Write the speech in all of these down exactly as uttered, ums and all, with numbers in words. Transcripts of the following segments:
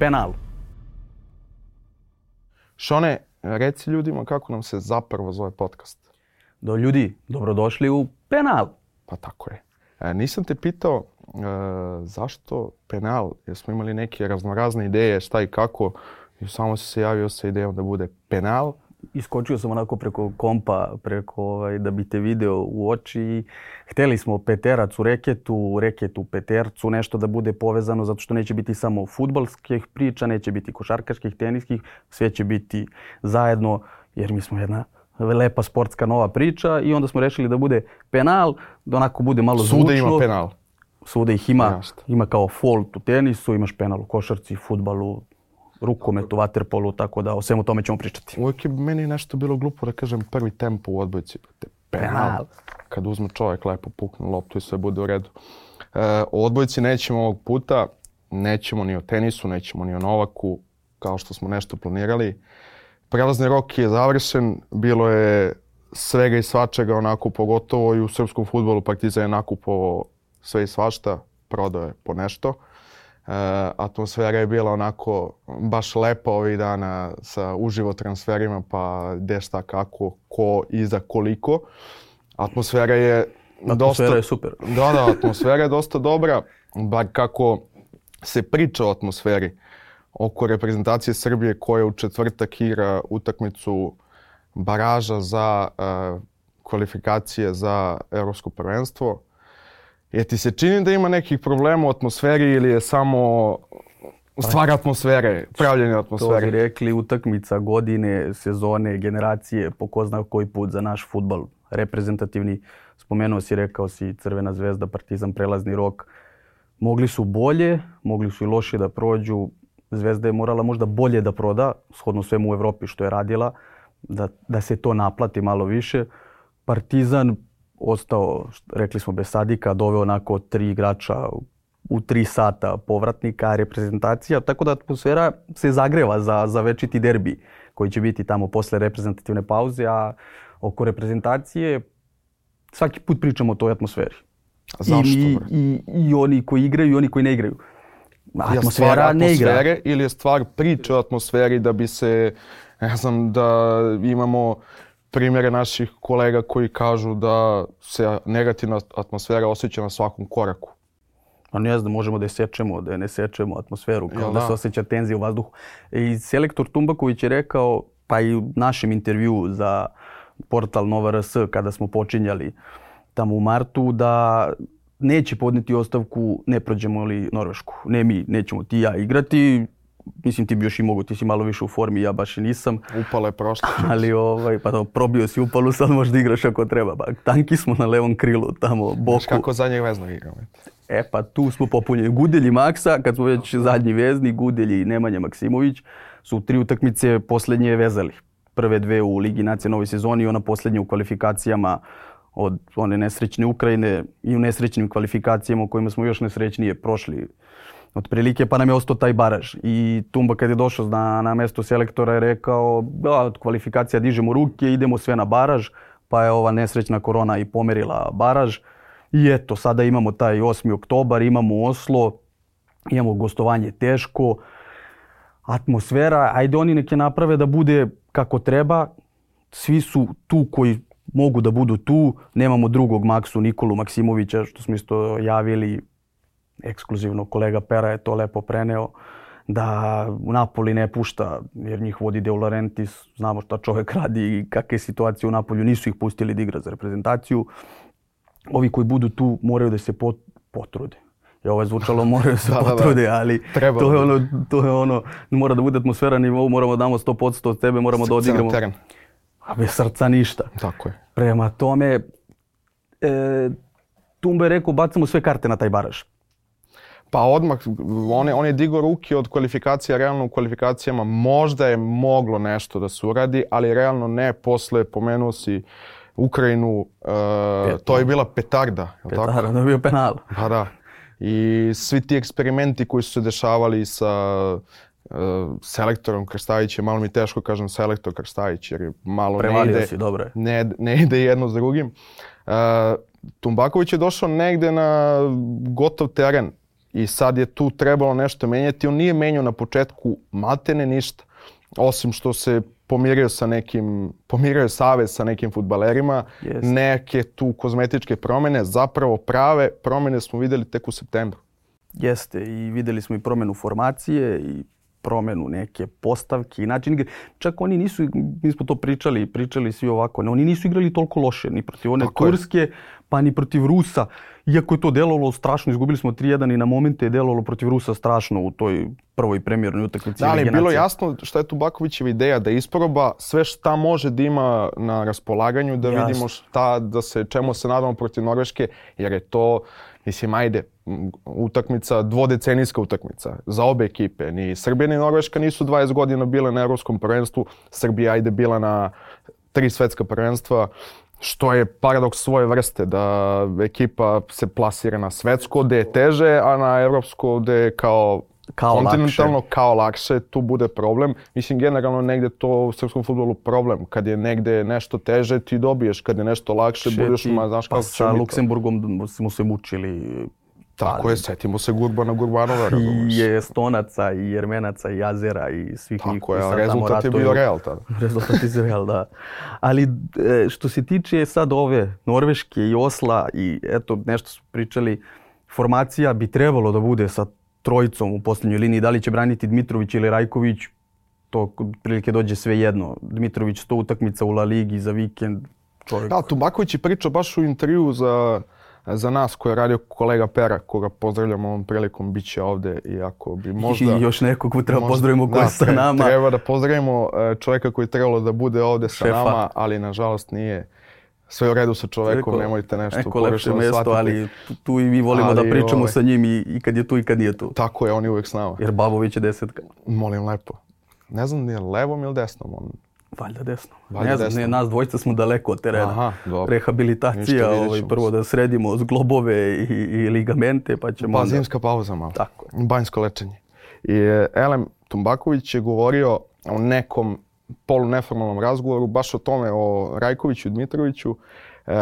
penal. Šone, reci ljudima kako nam se zapravo zove podcast. Do ljudi, dobrodošli u penal. Pa tako je. E, nisam te pitao e, zašto penal, jer smo imali neke raznorazne ideje šta i kako i samo si se javio sa idejom da bude penal. Iskočio sam onako preko kompa, preko ovaj, da bi te video u oči. Hteli smo peterac u reketu, reket u petercu, nešto da bude povezano zato što neće biti samo fudbalskih priča, neće biti košarkaških, teniskih, sve će biti zajedno jer mi smo jedna lepa sportska nova priča i onda smo rešili da bude penal, da onako bude malo zvučno. Svuda ima penal. Svuda ih ima, Jasne. Ima kao fault u tenisu, imaš penal u košarci, fudbalu, rukometu, vaterpolu, tako da o svemu tome ćemo pričati. Uvijek je meni nešto bilo glupo da kažem prvi tempo u odbojci. Penal. Penal. Kad uzme čovjek lepo pukne loptu i sve bude u redu. E, o odbojci nećemo ovog puta, nećemo ni o tenisu, nećemo ni o Novaku, kao što smo nešto planirali. Prelazni rok je završen, bilo je svega i svačega, onako pogotovo i u srpskom fudbalu Partizan je nakupovao sve i svašta, prodao je po nešto. Uh, atmosfera je bila onako baš lepa ovih dana sa uživo transferima, pa gde šta kako, ko i za koliko. Atmosfera je atmosfera dosta... je super. Da, da, atmosfera je dosta dobra, bar kako se priča o atmosferi oko reprezentacije Srbije koja u četvrtak igra utakmicu baraža za uh, kvalifikacije za Evropsko prvenstvo. Je ti se čini da ima nekih problema u atmosferi ili je samo stvar atmosfere, pravljenje atmosfere? To bi rekli utakmica godine, sezone, generacije, po ko zna koji put za naš fudbal. Reprezentativni, spomenuo si, rekao si Crvena zvezda, Partizan, prelazni rok. Mogli su bolje, mogli su i loše da prođu. Zvezda je morala možda bolje da proda, shodno svemu u Evropi što je radila, da, da se to naplati malo više. Partizan ostao, rekli smo, bez Sadika, doveo onako tri igrača u tri sata povratnika, reprezentacija, tako da atmosfera se zagreva za, za večiti derbi koji će biti tamo posle reprezentativne pauze, a oko reprezentacije svaki put pričamo o toj atmosferi. A zašto? I, i, i oni koji igraju i oni koji ne igraju. Atmosfera je ne igra. Ili je stvar priče o atmosferi da bi se, ne znam, da imamo primjere naših kolega koji kažu da se negativna atmosfera osjeća na svakom koraku. A ne znam, možemo da je sečemo, da je ne sečemo atmosferu, kao ja, da. da se osjeća tenzija u vazduhu. I selektor Tumbaković je rekao, pa i u našem intervjuu za portal Nova R S kada smo počinjali tamo u martu, da neće podneti ostavku ne prođemo li Norvešku. Ne mi, nećemo ti ja igrati. Mislim, ti bi još i mogu, ti si malo više u formi, ja baš i nisam. Upala je prošla. Ali ovaj, pa to, probio si upalu, sad možda igraš ako treba. Pa, tanki smo na levom krilu, tamo, boku. Znaš kako zadnjeg veznog igramo? E pa tu smo popunjeni. Gudelj Maksa, kad smo već zadnji vezni, Gudelj i Nemanja Maksimović su tri utakmice posljednje vezali. Prve dve u Ligi nacija novoj sezoni i ona posljednja u kvalifikacijama od one nesrećne Ukrajine i u nesrećnim kvalifikacijama u kojima smo još nesrećnije prošli otprilike, pa nam je ostao taj baraž. I Tumba kad je došao na, na mesto selektora je rekao da od kvalifikacija dižemo ruke, idemo sve na baraž, pa je ova nesrećna korona i pomerila baraž. I eto, sada imamo taj osmi oktobar, imamo Oslo, imamo gostovanje teško, atmosfera, ajde oni neke naprave da bude kako treba, svi su tu koji mogu da budu tu, nemamo drugog Maksu Nikolu Maksimovića, što smo isto javili, ekskluzivno kolega Pera je to lepo preneo, da Napoli ne pušta jer njih vodi De Laurentiis, znamo šta čovjek radi i kakve situacije u Napolju, nisu ih pustili da igra za reprezentaciju. Ovi koji budu tu moraju da se pot, potrude. I ovo je zvučalo, moraju se da, potrude, da, da. Ali to je, ono, to je ono, mora da bude atmosfera na nivou, moramo da damo sto posto od tebe, moramo Srce da odigramo. Teren. A bez srca ništa. Tako je. Prema tome, e, Tumba je rekao, bacamo sve karte na taj baraž. Pa odmah, on je, on je digao ruke od kvalifikacija, realno u kvalifikacijama možda je moglo nešto da se uradi, ali realno ne. Posle pomenuo si Ukrajinu, uh, to je bila petarda. Je petarda, tako? To je bio penal. Pa da. I svi ti eksperimenti koji su se dešavali sa uh, selektorom Krstajićem, malo mi teško kažem selektor Krstajić jer malo Prevalio ne ide, si, dobro. Ne, ne ide jedno s drugim. Uh, Tumbaković je došao negde na gotov teren. i sad je tu trebalo nešto menjati. On nije menjao na početku maltene ništa, osim što se pomirio sa nekim, pomirio je savez sa nekim fudbalerima, yes. Neke tu kozmetičke promjene, zapravo prave promjene smo vidjeli tek u septembru. Jeste, i vidjeli smo i promjenu formacije i promjenu neke postavke i način igre. Čak oni nisu, mi smo to pričali, pričali svi ovako, oni nisu igrali toliko loše, ni protiv one Tako Turske, je. pa ni protiv Rusa. Iako je to delovalo strašno, izgubili smo tri jedan i na momente je delovalo protiv Rusa strašno u toj prvoj premijernoj utakmici. Da, ali je bilo jasno šta je tu Bakovićeva ideja, da isproba sve šta može da ima na raspolaganju, da Jasno. vidimo šta, da se, čemu se nadamo protiv Norveške, jer je to, mislim, ajde, utakmica, dvodecenijska utakmica za obe ekipe. Ni Srbija ni Norveška nisu dvadeset godina bile na evropskom prvenstvu. Srbija ajde bila na tri svetska prvenstva, što je paradoks svoje vrste, da ekipa se plasira na svetsko gde je teže, a na evropsko gde je kao, kao kontinentalno lakše. kao lakše, tu bude problem. Mislim, generalno negde to u srpskom fudbalu problem. Kad je negde nešto teže, ti dobiješ. Kad je nešto lakše, Še budeš, ma, znaš pa kako će sa Luksemburgom smo se mučili. Tako ali, je, setimo se Gurbana Gurbanova. I Estonaca, i Jermenaca, i Azera, i svih njih koji sad tamo ratuju. Rezultat je bio Real tada. Rezultat je Real, da. Ali što se tiče sad ove Norveške i Osla i eto nešto su pričali, formacija bi trebalo da bude sa trojicom u posljednjoj liniji. Da li će braniti Dmitrović ili Rajković, to prilike dođe sve jedno. Dmitrović sto utakmica u La Ligi za vikend. Čovjek. Da, Tubaković je pričao baš u intervju za... za nas koji je radio kolega Pera, koga pozdravljamo ovom prilikom, bit će ovdje, iako bi možda... I još nekog ko treba pozdravimo koji je sa nama. Treba da pozdravimo čovjeka koji je trebalo da bude ovdje sa Šefa. nama, ali nažalost nije sve u redu sa čovjekom, Eko, nemojte nešto neko lepše mjesto, ali tu i mi volimo ali, da pričamo ovaj, sa njim i, i kad je tu i kad nije tu. Tako je, on je uvijek s nama. Jer Babović je desetka. Molim lepo. Ne znam nije levom ili desnom on. Valjda desno. Valjda ne znam, desno. Ne, nas dvojica smo daleko od terena. Aha, rehabilitacija, ovaj, prvo da sredimo zglobove i, i ligamente, pa ćemo Pa onda... zimska pauza malo. Tako. Banjsko lečenje. I Elem Tumbaković je govorio o nekom poluneformalnom razgovoru, baš o tome, o Rajkoviću i Dmitroviću. E,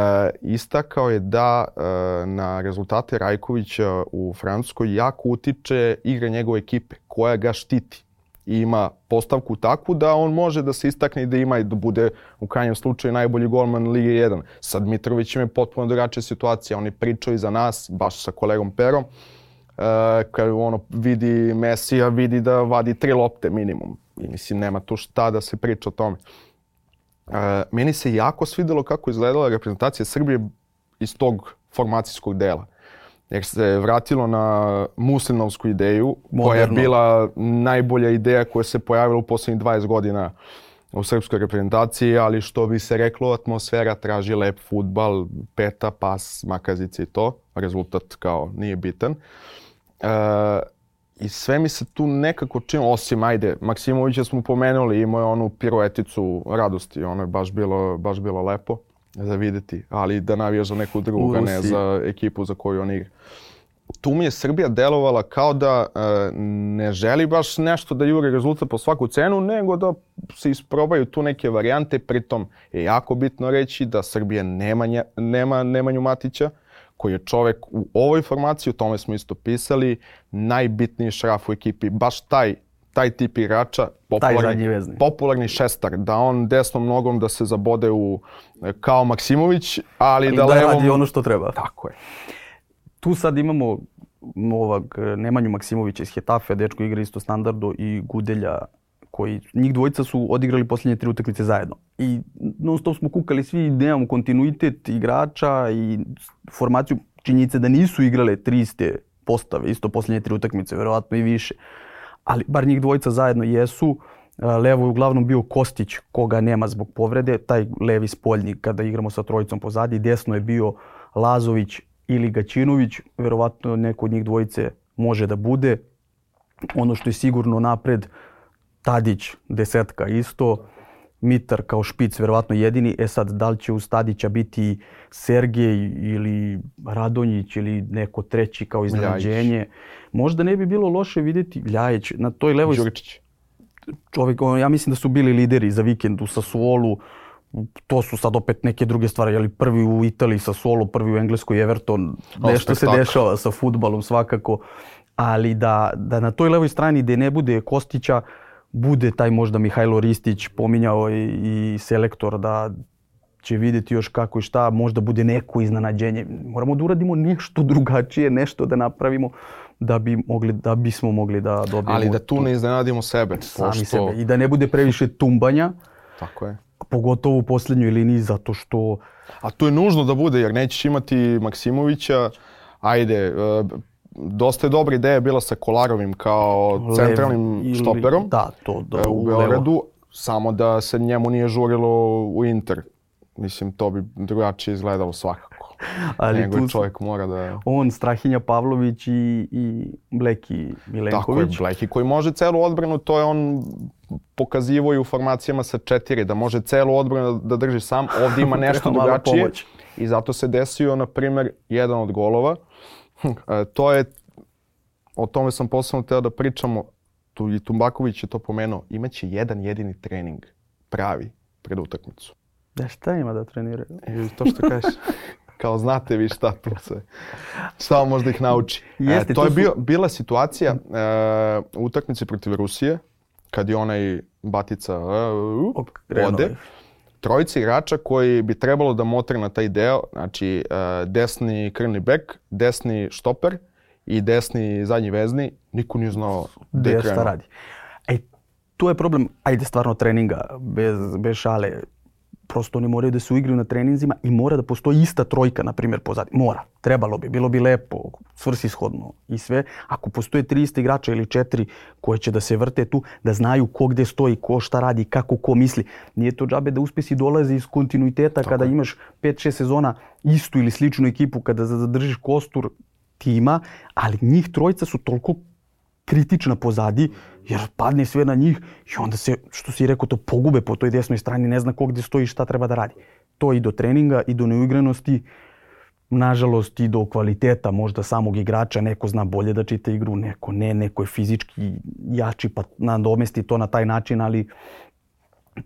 istakao je da e, na rezultate Rajkovića u Francuskoj jako utiče igra njegove ekipe, koja ga štiti. I ima postavku takvu da on može da se istakne i da ima i da bude u krajnjem slučaju najbolji golman Lige jedan. Sa Dmitrovićem je potpuno drugačija situacija. On je pričao i za nas, baš sa kolegom Perom. E, kad ono vidi Mesija, vidi da vadi tri lopte minimum. I mislim, nema tu šta da se priča o tome. E, meni se jako svidjelo kako izgledala reprezentacija Srbije iz tog formacijskog dela. Jer se vratilo na muslinovsku ideju, Moderno. koja je bila najbolja ideja koja se pojavila u posljednjih dvadeset godina u srpskoj reprezentaciji, ali što bi se reklo, atmosfera traži lep fudbal, peta, pas, makazice i to. Rezultat kao nije bitan. E, I sve mi se tu nekako činilo, osim, ajde, Maksimovića smo pomenuli, imao je onu pirueticu radosti, ono je baš bilo, baš bilo lepo za vidjeti, ali da navijaš za neku drugu, a ne za ekipu za koju on igra. Tu mi je Srbija delovala kao da e, ne želi baš nešto da jure rezultat po svaku cenu, nego da se isprobaju tu neke varijante. Pritom je jako bitno reći da Srbija nema, nje, nema Nemanju Matića, koji je čovjek u ovoj formaciji, o tome smo isto pisali, najbitniji šraf u ekipi. Baš taj, taj tip igrača, popularni, popularni šestar, da on desnom nogom da se zabode u, kao Maksimović, ali, ali da, da levom... radi ono što treba. Tako je. Tu sad imamo ovog Nemanju Maksimovića iz Hetafe, dečko igra isto standardu, i Gudelja, koji, njih dvojica su odigrali posljednje tri utakmice zajedno. I non stop smo kukali svi, nemamo kontinuitet igrača i formaciju, činjenice da nisu igrale tri iste postave, isto posljednje tri utakmice, verovatno i više. Ali bar njih dvojica zajedno jesu. Levo je uglavnom bio Kostić, koga nema zbog povrede, taj levi spoljnik kada igramo sa trojicom pozadi. Desno je bio Lazović ili Gaćinović, verovatno neko od njih dvojice može da bude. Ono što je sigurno napred, Tadić, desetka isto, Mitar kao špic, verovatno jedini. E sad, da li će uz Tadića biti Sergej ili Radonjić ili neko treći kao iznenađenje? Možda ne bi bilo loše vidjeti Ljajić na toj levoj... Đuričić. Čovjek, ja mislim da su bili lideri za vikend u Sassuolu. To su sad opet neke druge stvari, ali prvi u Italiji Sassuolo, prvi u Engleskoj Everton. Nešto se dešava sa fudbalom svakako. ali da, da na toj levoj strani gdje ne bude Kostića, bude taj možda Mihajlo Ristić, pominjao i, i selektor da će vidjeti još kako i šta, možda bude neko iznenađenje. Moramo da uradimo nešto drugačije, nešto da napravimo da bi mogli, da bismo mogli da dobijemo. Ali da tu ne iznenadimo sebe. Sami pošto... sebe. I da ne bude previše tumbanja. Tako je. Pogotovo u posljednjoj liniji, zato što... A to je nužno da bude, jer nećeš imati Maksimovića. Ajde, dosta je dobra ideja bila sa Kolarovim kao centralnim ili, štoperom da, to, da, u Beogradu, samo da se njemu nije žurilo u Inter. Mislim, to bi drugačije izgledalo svakako. Ali nego tu čovjek mora da... On, Strahinja Pavlović i, i Bleki Milenković. Tako je, Bleki koji može celu odbranu, to je on pokazivo i u formacijama sa četiri, da može celu odbranu da drži sam. Ovdje ima nešto drugačije i zato se desio, na primjer, jedan od golova. To je, o tome sam posebno teo da pričamo, tu i Tumbaković je to pomenuo, imaće jedan jedini trening, pravi, pred utakmicu. Da, šta ima da treniraju? I to što kažeš, kao znate vi šta tu se, šta možda ih nauči. Jeste, e, to je su... bio, bila situacija e, u utakmici protiv Rusije, kad je onaj Batica e, ode. Trojica igrača koji bi trebalo da motre na taj deo, znači e, desni krilni bek, desni štoper i desni zadnji vezni, niko nije znao gde je krenuo. Radi. E, tu je problem, ajde stvarno treninga, bez, bez šale. Prosto oni moraju da se uigraju na treninzima i mora da postoji ista trojka, na primjer, pozadnji. Mora. Trebalo bi. Bilo bi lepo, svrsishodno i sve. Ako postoje tri ista igrača ili četiri koje će da se vrte tu, da znaju ko gde stoji, ko šta radi, kako ko misli. Nije to džabe da uspesi dolazi iz kontinuiteta. Tako. Kada imaš pet šest sezona istu ili sličnu ekipu, kada zadržiš kostur tima, ali njih trojica su toliko kritična pozadi, jer padne sve na njih i onda se, što si rekao, to pogube po toj desnoj strani, ne zna ko gdje stoji i šta treba da radi. To i do treninga, i do neuigranosti, nažalost i do kvaliteta možda samog igrača. Neko zna bolje da čita igru, neko ne, neko je fizički jači pa nadomesti to na taj način, ali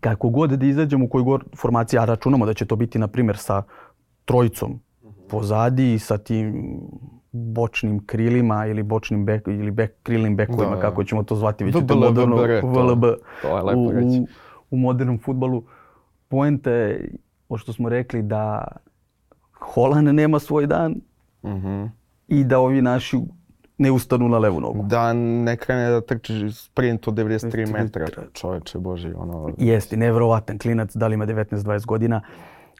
kako god da izađemo u kojoj god formaciji, a računamo da će to biti, na primjer, sa trojicom pozadi i sa tim bočnim krilima ili bočnim bek, ili bek, krilnim bekovima, da, kako ćemo to zvati, već je to moderno V L B u, u, u modernom fudbalu. Poenta je, što smo rekli, da Holand nema svoj dan mm-hmm. i da ovi naši ne ustanu na levu nogu. Da ne krene da trči sprint od devedeset tri metra, čoveče boži. Ono... Jeste, nevjerovatan klinac, da li ima devetnaest dvadeset godina.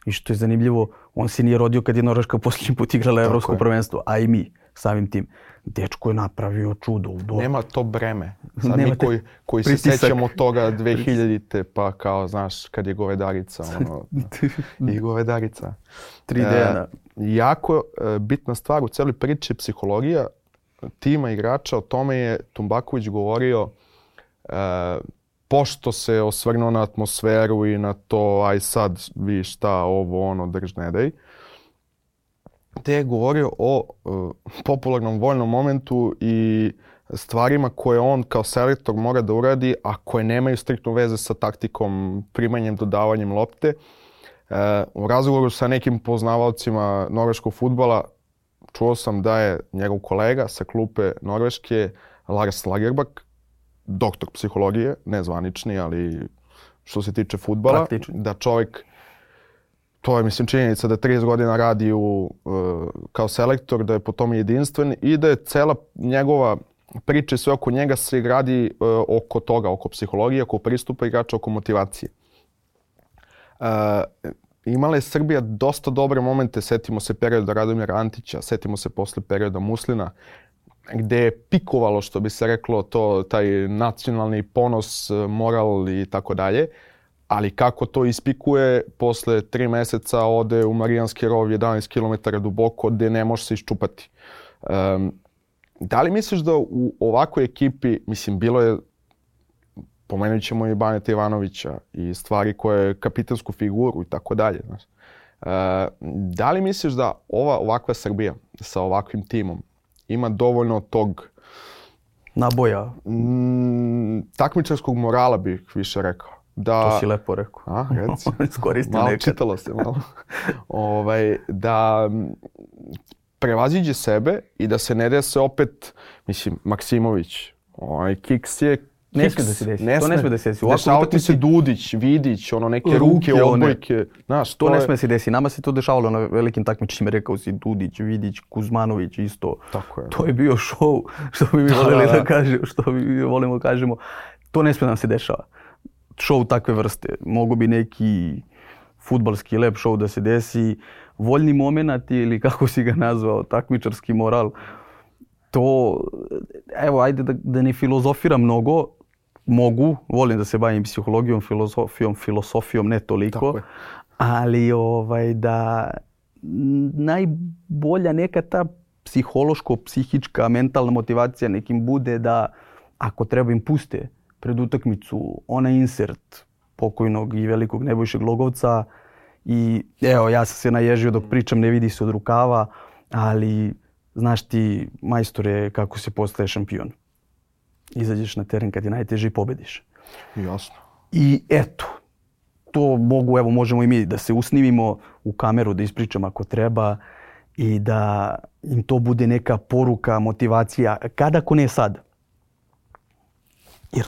I što je zanimljivo, on se nije rodio kad je Norveška posljednji put igrala Evropsko prvenstvo, a i mi samim tim. Dečko je napravio čudo u dobu. Nema to breme. Sad mi koji, koji se sećamo toga dve hiljadite pa kao, znaš, kad je govedarica. Ono, i govedarica. tri D-na. E, jako e, bitna stvar u cijeloj priči je psihologija tima igrača. O tome je Tumbaković govorio e, pošto se osvrnuo na atmosferu i na to, aj sad vi šta, ovo, ono, drž ne daj. Te je govorio o uh, popularnom vojnom momentu i stvarima koje on kao selektor mora da uradi, a koje nemaju striktnu veze sa taktikom, primanjem, dodavanjem lopte. Uh, u razgovoru sa nekim poznavalcima norveškog fudbala čuo sam da je njegov kolega sa klupe Norveške, Lars Lagerbäck, doktor psihologije, ne zvanični, ali što se tiče fudbala, praktični. Da čovjek, to je mislim činjenica da trideset godina radi u, uh, kao selektor, da je po tome jedinstven i da je cela njegova priča i sve oko njega se gradi uh, oko toga, oko psihologije, oko pristupa igrača, oko motivacije. Uh, imala je Srbija dosta dobre momente, setimo se perioda Radomira Antića, setimo se posle perioda Muslina, gdje je pikovalo, što bi se reklo, to, taj nacionalni ponos, moral i tako dalje. Ali kako to ispikuje, posle tri mjeseca ode u Marijanski rov jedanaest kilometara duboko gdje ne može se iščupati. Um, da li misliš da u ovakvoj ekipi, mislim, bilo je, pomenut ćemo i Baneta Ivanovića i stvari koje kapitansku figuru i tako dalje. Uh, da li misliš da ova ovakva Srbija sa ovakvim timom ima dovoljno tog naboja, m, takmičarskog morala bih više rekao? Da, to si lepo rekao. A, reci. Iskoristio malo nekad. Čitalo se malo. ovaj, da prevaziđe sebe i da se ne dese opet, mislim, Maksimović, ovaj Kiks je Ne smije da se desi, ne to ne smije da se desi. Dešavao ti se Dudić, Vidić, ono neke ruke, ruke odbojke. Znaš, to, to ne smije se desi. Nama se to dešavalo na velikim takmičenjima, rekao si Dudić, Vidić, Kuzmanović isto. Tako je. To je bio show, što bi mi voljeli da, da kažemo, što bi volimo kažemo. To ne smije nam se dešava. Show takve vrste. Mogu bi neki fudbalski lep show da se desi, voljni moment ili kako si ga nazvao, takmičarski moral. To, evo, ajde da, da ne filozofiram mnogo, mogu, volim da se bavim psihologijom, filozofijom, filosofijom, ne toliko, ali ovaj, da najbolja neka ta psihološko-psihička, mentalna motivacija nekim bude da ako treba im puste pred utakmicu onaj insert pokojnog i velikog Nebojše Glogovca i evo, ja sam se naježio dok pričam, ne vidi se od rukava, ali znaš ti, majstore, kako se postaje šampion. Izađeš na teren kad je najteže i pobediš. Jasno. I eto, to mogu, evo, možemo i mi da se usnimimo u kameru, da ispričam ako treba i da im to bude neka poruka, motivacija. Kada, ako ne sad? Jer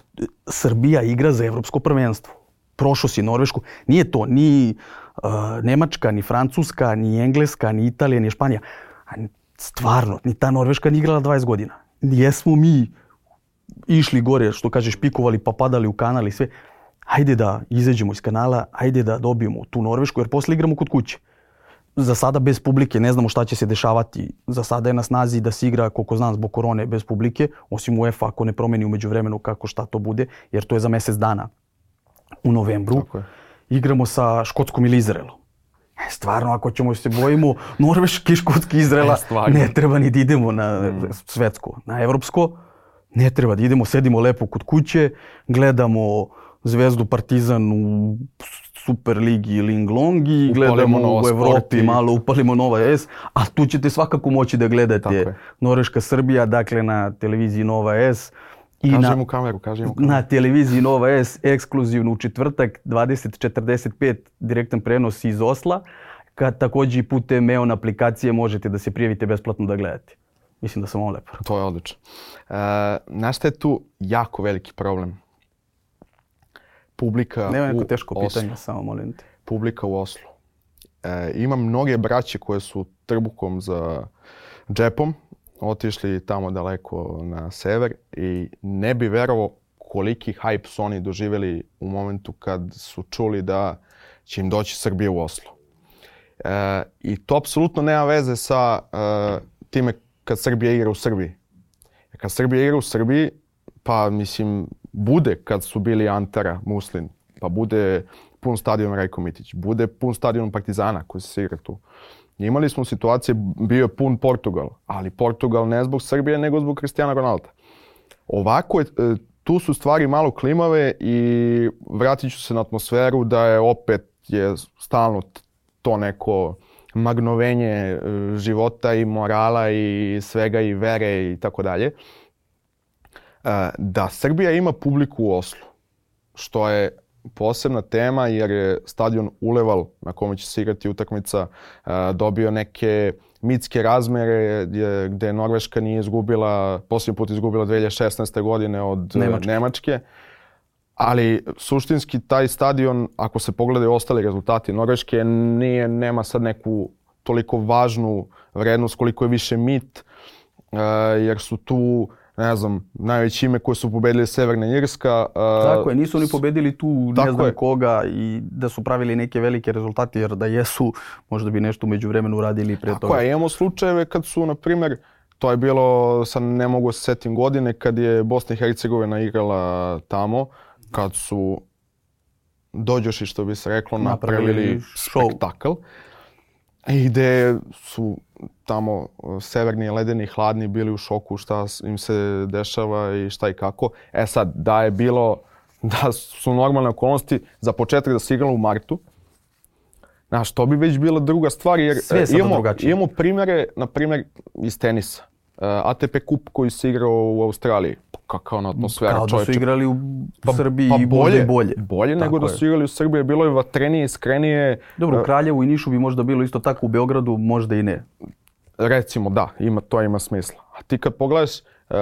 Srbija igra za evropsko prvenstvo. Prošao si Norvešku. Nije to ni uh, Nemačka, ni Francuska, ni Engleska, ni Italija, ni Španija. Stvarno, ni ta Norveška nije igrala dvadeset godina. Jesmo mi išli gore, što kažeš, pikovali pa padali u kanal i sve. Hajde da izađemo iz kanala, hajde da dobijemo tu Norvešku, jer posle igramo kod kuće. Za sada bez publike, ne znamo šta će se dešavati. Za sada je na snazi da se igra, koliko znam, zbog korone bez publike, osim UEFA ako ne promeni u međuvremenu kako šta to bude, jer to je za mjesec dana u novembru. Igramo sa Škotskom ili Izraelom. E, stvarno, ako ćemo se bojimo Norveške, Škotske, Izraela, e, ne treba ni da idemo na mm. svetsko, na evropsko. Ne treba da idemo, sedimo lepo kod kuće, gledamo Zvezdu, Partizan u Super ligi ili Inglongi, gledamo u Evropi, malo upalimo Nova S, a tu ćete svakako moći da gledate Norveška, Srbija, dakle na televiziji Nova S. I kaži mu kameru, kaži mu kameru. Na televiziji Nova S, ekskluzivno u četvrtak, dvadeset četrdeset pet, direktan prenos iz Osla, kad također i putem E O N aplikacije možete da se prijavite besplatno da gledate. Mislim da sam ovo lepo. To je odlično. E, znaš šta je tu jako veliki problem? Publika Nema neko u teško Oslu. pitanje, samo molim te. Publika u Oslu. E, imam mnoge braće koje su trbukom za džepom otišli tamo daleko na sever i ne bi verovao koliki hype su oni doživjeli u momentu kad su čuli da će im doći Srbija u Oslo. E, I to apsolutno nema veze sa e, time kad Srbija igra u Srbiji. Kad Srbija igra u Srbiji, pa mislim, bude kad su bili Antara, Muslin, pa bude pun stadion Rajko Mitić, bude pun stadion Partizana koji se igra tu. Imali smo situacije, bio je pun Portugal, ali Portugal ne zbog Srbije, nego zbog Cristiana Ronalda. Ovako je, tu su stvari malo klimave i vratit ću se na atmosferu da je opet je stalno to neko magnovenje života i morala i svega i vere i tako dalje. Da Srbija ima publiku u Oslu, što je posebna tema jer je stadion Uleval na kome će se igrati utakmica dobio neke mitske razmere gdje Norveška nije izgubila, posljednji put izgubila dvije hiljade šesnaeste. godine od Nemačke. Nemačke. Ali suštinski taj stadion, ako se pogledaju ostali rezultati Norveške, nije, nema sad neku toliko važnu vrednost koliko je više mit, jer su tu, ne znam, najveće ime koje su pobedili Severna Irska. Tako je, nisu oni pobedili tu ne znam koga i da su pravili neke velike rezultate, jer da jesu, možda bi nešto među vremenu uradili prije toga. Tako je, imamo slučajeve kad su, na primjer, to je bilo, sad ne mogu se setim godine, kad je Bosna i Hercegovina igrala tamo, kad su dođoši, što bi se reklo, napravili spektakl. I gdje su tamo severni, ledeni, hladni bili u šoku šta im se dešava i šta i kako. E sad, da je bilo, da su normalne okolnosti za početak da se igralo u martu, znaš, to bi već bila druga stvar jer imamo, imamo primjere, na primjer, iz tenisa. A T P kup koji se igrao u Australiji. Kakva ona atmosfera, čovječe. Kao da su igrali u pa, Srbiji pa i bolje. Bolje, bolje nego da su igrali u Srbiji. Bilo je vatrenije, iskrenije. Dobro, u Kraljevu i Nišu bi možda bilo isto tako, u Beogradu možda i ne. recimo da, ima, to ima smisla. A ti kad pogledaš uh,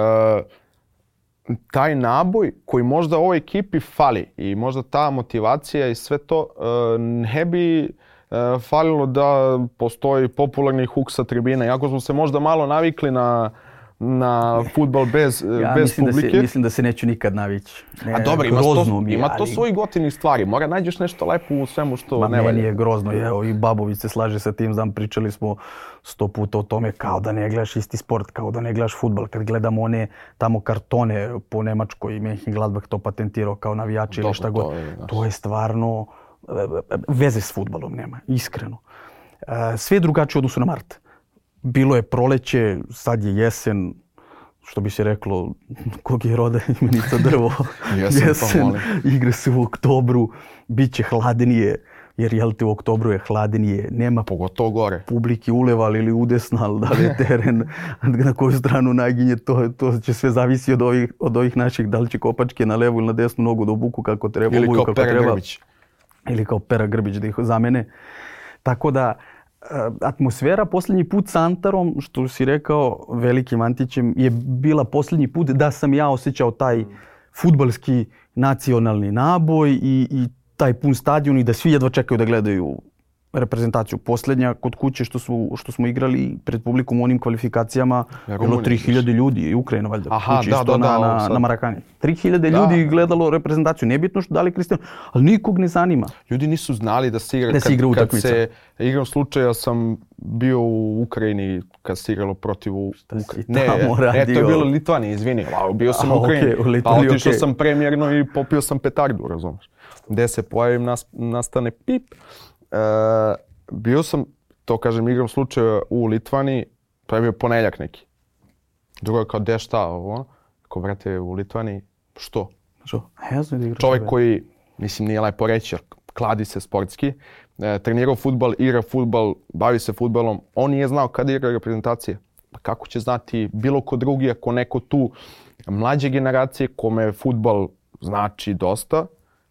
taj naboj koji možda ovoj ekipi fali i možda ta motivacija i sve to uh, ne bi uh, falilo da postoji popularni huk sa tribina. Iako smo se možda malo navikli na na fudbal bez, ja bez mislim publike. Da se, mislim da se neću nikad navići. Ne, A dobro, ima to, mi, ima ali... to svojih gotivnih stvari. Mora nađeš nešto lepo u svemu što Ma, ne valja. Meni je grozno. Evo, i Babović se slaže sa tim. Znam, pričali smo sto puta o tome kao da ne gledaš isti sport, kao da ne gledaš fudbal. Kad gledamo one tamo kartone po Nemačkoj i Mönchengladbach to patentirao kao navijači ili šta god. To je, to je stvarno... Veze s fudbalom nema, iskreno. Sve je drugačije u odnosu na mart. Bilo je proleće, sad je jesen, što bi se reklo, kog je roda imenica drvo. Jesen, jesen igre se u oktobru, bit će hladnije, jer jel te u oktobru je hladnije, nema pogotovo gore. Publiki uleval ili udesnal, da li je teren, na koju stranu naginje, to, to će sve zavisi od ovih, od ovih naših, da li će kopačke na levu ili na desnu nogu da obuku kako treba. Ili kao kako Pera treba. Grbić. Ili kao Pera Grbić da ih zamene. Tako da, atmosfera posljednji put sa Antarom, što si rekao, velikim Antićem, je bila posljednji put da sam ja osjećao taj fudbalski nacionalni naboj i, i taj pun stadion i da svi jedva čekaju da gledaju reprezentaciju. Posljednja kod kuće što, su, što smo igrali pred publikom u onim kvalifikacijama, ja, bilo tri hiljade ljudi i Ukrajina valjda. Aha, kući da, isto da, na, da, na, na Marakani. tri hiljade ljudi gledalo reprezentaciju. Nebitno što da li Cristiano, ali nikog ne zanima. Ljudi nisu znali da se igra. Da se igra kad, utakmica. Kad se igram slučaja sam bio u Ukrajini kad se igralo protiv Ukrajine. Ne, ne, to je bilo Litvanija, izvini. Bio sam u Ukrajini, okay, u Litvaniji, pa otišao okay. sam premjerno i popio sam petardu, razumiješ. Gde se pojavim, nas, nastane pip. E, bio sam, to kažem, igram slučaja u Litvaniji, to je bio ponedjeljak neki. Drugo je kao, de šta ovo? Kao, brate, u Litvaniji, što? Što? Ja znam da igraš. Čovjek koji, mislim, nije lepo reći, kladi se sportski, e, trenirao fudbal, igra fudbal, bavi se fudbalom, on nije znao kada igra reprezentacije. Pa kako će znati bilo ko drugi, ako neko tu mlađe generacije kome fudbal znači dosta,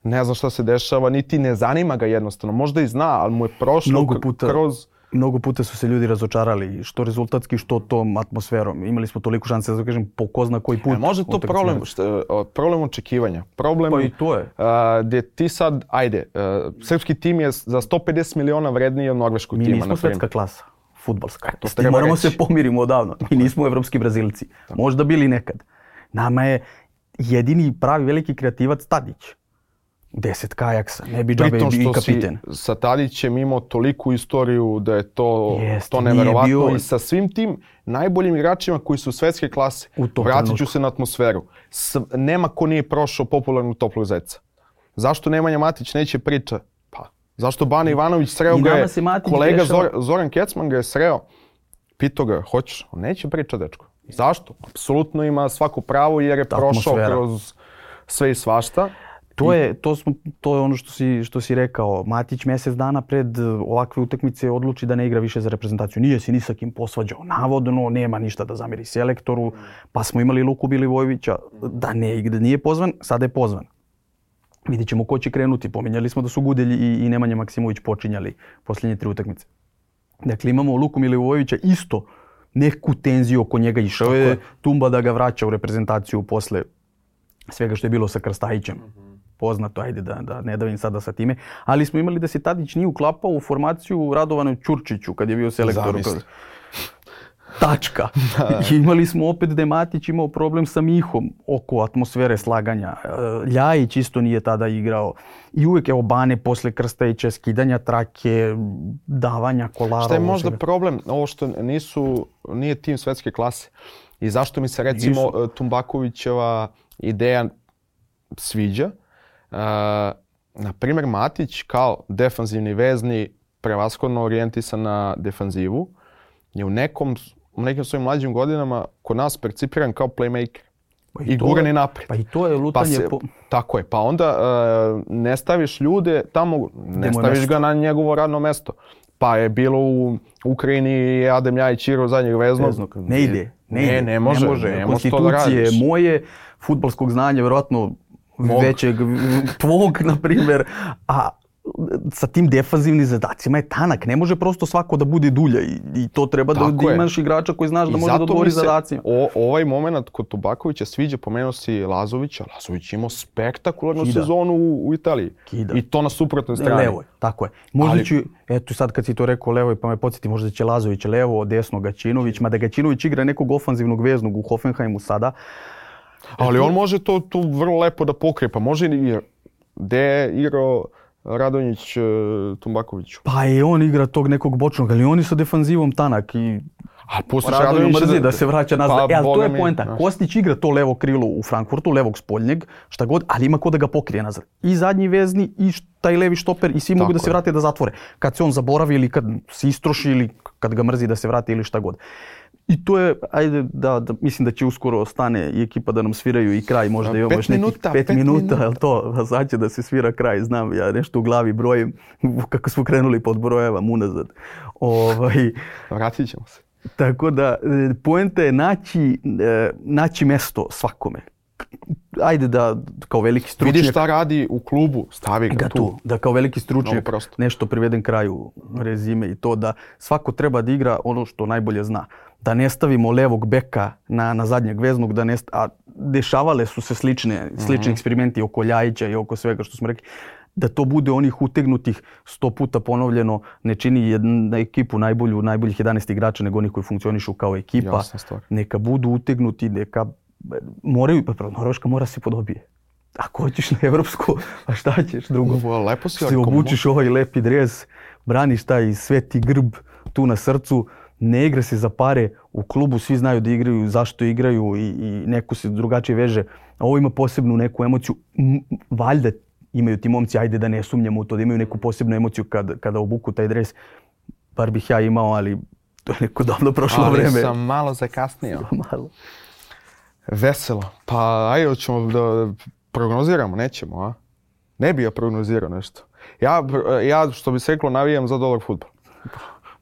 ne zna šta se dešava, niti ne zanima ga jednostavno. Možda i zna, ali mu je prošlo mnogo puta, kroz... Mnogo puta su se ljudi razočarali, što rezultatski, što tom atmosferom. Imali smo toliko šanse, da kažem, po ko zna koji put. E, možda to problem, što, problem očekivanja. Problem pa i to je. A, gdje ti sad, ajde, a, srpski tim je za sto pedeset miliona vredniji od norveškog Mi tima. Mi nismo svetska klasa, fudbalska. E, to moramo reći. se pomirimo odavno. Mi nismo evropski Brazilci. Možda bili nekad. Nama je jedini pravi veliki kreativac Tadić. Deset kajaksa, ne bi džabe i kapiten. Si sa Tadićem imao toliku istoriju da je to, Jest, to neverovatno bio... i sa svim tim najboljim igračima koji su svetske klase. Vratit ću se na atmosferu. S, nema ko nije prošao popularnu Toplog zeca. Zašto Nemanja Matić neće priča? Pa, zašto Bana Ivanović sreo ga je, kolega dešava... Zor, Zoran Kecman ga je sreo. Pitao ga, hoćeš? On neće priča, dečko. Zašto? Apsolutno ima svako pravo jer je prošao kroz sve i svašta. To je, to, smo, to je ono što si, što si rekao. Matić mjesec dana pred ovakve utakmice odluči da ne igra više za reprezentaciju. Nije se ni sa kim posvađao. Navodno, nema ništa da zamjeri selektoru. Pa smo imali Luku Bilivojevića da, ne, da nije pozvan, sada je pozvan. Vidjet ćemo ko će krenuti. Pominjali smo da su Gudelj i, i Nemanja Maksimović počinjali posljednje tri utakmice. Dakle, imamo Luku Milivojevića isto neku tenziju oko njega. Išao je Tumba da ga vraća u reprezentaciju posle svega što je bilo sa Krstajićem. Poznato, ajde da, da ne davim sada sa time. Ali smo imali da se Tadić nije uklapao u formaciju Radovanu Ćurčiću kad je bio selektor. Tačka. I imali smo opet da je Matić imao problem sa Mihom oko atmosfere slaganja. Ljajić isto nije tada igrao. I uvijek je Bane posle Krstajića, skidanja trake, davanja kolara. Šta je možda problem? Ovo što nisu, nije tim svetske klase. I zašto mi se recimo nisu. Tumbakovićeva ideja sviđa? Uh, na primjer, Matić kao defanzivni vezni, prevashodno orijentisan na defanzivu, je u nekom, u nekim svojim mlađim godinama kod nas percipiran kao playmaker. Pa i i gurani naprijed. Pa i to je lutanje... Pa se, po... Tako je. Pa onda uh, ne staviš ljude tamo, ne staviš mesto. Ga na njegovo radno mesto. Pa je bilo u Ukrajini Adem Ljajić igrao zadnjeg veznog. Veznog. Ne ide. Ne, ne, ne može. Ne može. Ne konstitucije da moje, fudbalskog znanja, vjerojatno većeg tvog, na primjer, a sa tim defanzivnim zadacima je tanak. Ne može prosto svako da bude dulja i, i to treba da, da imaš igrača koji znaš da može da odgovori zadacima. O, ovaj moment kod Tubakovića sviđa, pomenuo si Lazovića. Lazović imao spektakularnu Kida. sezonu u, u Italiji. Kida. I to na suprotnoj strani. Levo je, tako je. Možda Ali... ću, eto sad kad si to rekao levo pa me podsjeti, možda će Lazović levo, desno Gaćinović, mada Gaćinović igra nekog ofanzivnog veznog u Hoffenheimu sada. Ali on može to tu vrlo lepo da pokrije, pa može i gde je igrao Radonjić Tumbakoviću. Pa i on igra tog nekog bočnog, ali on je sa defanzivom tanak i a pustiš Radonjić mrzi da se vraća nazad. Pa, e, ali to je poenta. Mi, Kostić igra to levo krilo u Frankfurtu, levog spoljnjeg, šta god, ali ima ko da ga pokrije nazad. I zadnji vezni, i taj levi štoper, i svi Tako mogu da se vrate da zatvore. Kad se on zaboravi ili kad se istroši ili kad ga mrzi da se vrati ili šta god. I to je, ajde, da, da, mislim da će uskoro stane i ekipa da nam sviraju i kraj, možda imamo još nekih pet, pet minuta, ali to, sad će da se svira kraj, znam, ja nešto u glavi brojim, kako smo krenuli pod brojevam unazad. Ovaj, Vratit ćemo se. Tako da, poenta je naći, naći mesto svakome. Ajde da kao veliki stručnjak... Vidi šta radi u klubu, stavi ga tu. tu. Da kao veliki stručnjak nešto privedem kraju rezime i to da svako treba da igra ono što najbolje zna. Da ne stavimo levog beka na, na zadnjeg veznog, da ne st... a dešavale su se slične, slični mm-hmm. eksperimenti oko Ljajića i oko svega što smo rekli. Da to bude onih utegnutih sto puta ponovljeno, ne čini jednu ekipu najbolju, najboljih jedanaest igrača nego onih koji funkcionišu kao ekipa. Neka budu utegnuti, neka moraju, pa Norveška mora se podobije. Ako hoćeš na evropsku, a šta ćeš drugo? Ovo, lepo si se obučiš ovaj lepi dres, braniš taj sveti grb tu na srcu, ne igra se za pare, u klubu svi znaju da igraju, zašto igraju i, i neko se drugačije veže. A ovo ima posebnu neku emociju, valjda imaju ti momci, ajde da ne sumnjamo u to, da imaju neku posebnu emociju kad, kada obuku taj dres. Bar bih ja imao, ali to je neko davno prošlo ali vreme. Ali sam malo zakasnio. malo. Veselo. Pa ajde ćemo da prognoziramo, nećemo, a? Ne bi ja prognozirao nešto. Ja, ja što bi se reklo, navijam za dobar fudbal.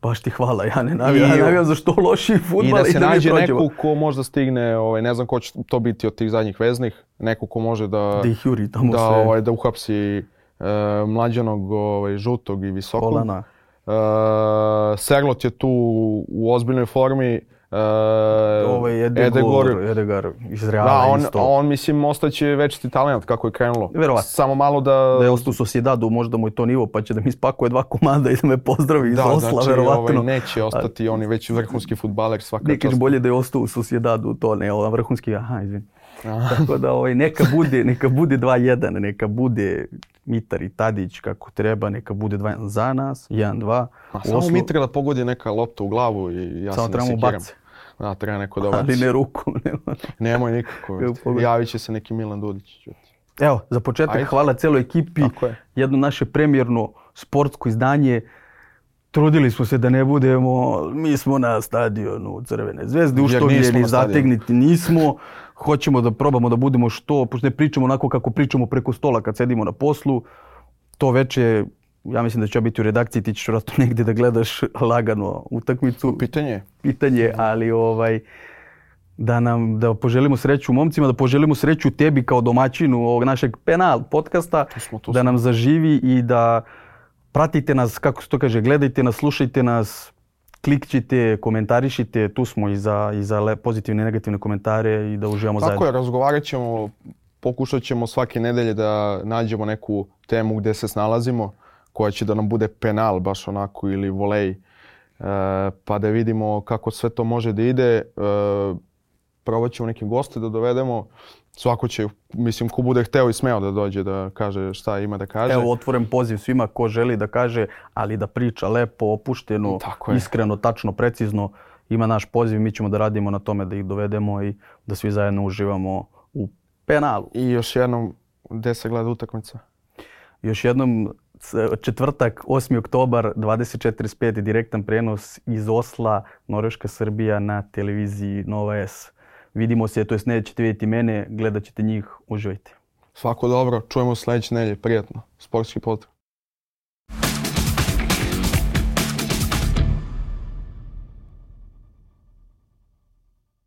Baš ti hvala, ja ne navijam, ja navijam za što lošiji fudbal i da, i da se da nađe neko ko možda stigne, ovaj, ne znam ko će to biti od tih zadnjih veznih, neko ko može da, da, ih juri tamo da, sve. Ovaj, da uhapsi e, mlađanog, ovaj, žutog i visokog. Kolana. E, Serlot je tu u ozbiljnoj formi. Uh, Ovaj Edegor, Edegar iz Reala da, on, isto. on mislim ostaće večiti talent kako je krenulo. Verovatno. Samo malo da... Da je ostao u Sociedadu, možda mu je to nivo, pa će da mi spakuje dva komanda i da me pozdravi iz da, Osla, znači, verovatno. Ovaj, neće ostati on je već vrhunski fudbaler svaka čast. Bolje da je ostao u Sociedadu, to ne, ovaj vrhunski, aha, izvini. Tako da ovaj, neka bude, neka bude dva jedan, neka bude Mitar i Tadić kako treba, neka bude dva jedan za nas, jedan dva. Samo Mitrila pogodi neka lopta u glavu i ja samo se ne sekiram. Da, treba neko da baci. Ali ne rukom. Nema. Nemoj nikako. Javit će se neki Milan Dudić. Evo, za početak Ajde. Hvala celoj ekipi. Jedno naše premijerno sportsko izdanje. Trudili smo se da ne budemo, mi smo na stadionu Crvene zvezde, uštogljeni, zategniti nismo. Hoćemo da probamo da budemo što, pošto ne pričamo onako kako pričamo preko stola kad sedimo na poslu. To veče, ja mislim da će biti u redakciji, ti ćeš vratno negdje da gledaš lagano utakmicu. Pitanje. Pitanje, ali ovaj, da nam da poželimo sreću momcima, da poželimo sreću tebi kao domaćinu ovog našeg Penal podcasta, tu smo, tu da nam zaživi i da pratite nas, kako se to kaže, gledajte nas, slušajte nas, klikćite, komentarišite, tu smo i za, i za pozitivne i negativne komentare i da uživamo Tako zajedno. Tako je, razgovarat ćemo, pokušat ćemo svake nedelje da nađemo neku temu gdje se snalazimo, koja će da nam bude penal baš onako ili volej, e, pa da vidimo kako sve to može da ide. E, probat ćemo neke goste da dovedemo. Svako će, mislim, ko bude hteo i smeo da dođe da kaže šta ima da kaže. Evo, otvoren poziv svima ko želi da kaže, ali da priča lepo, opušteno, iskreno, tačno, precizno. Ima naš poziv, mi ćemo da radimo na tome da ih dovedemo i da svi zajedno uživamo u penalu. I još jednom, gde se gleda utakmica? Još jednom, četvrtak, osmi oktobar, dvadeset četiri četrdeset pet, direktan prenos iz Osla, Norveška Srbija na televiziji Nova S. Vidimo se, to jest nećete vidjeti mene, gledat ćete njih, uživajte. Svako dobro, čujemo sljedeće nedelje, prijatno, sportski pozdrav.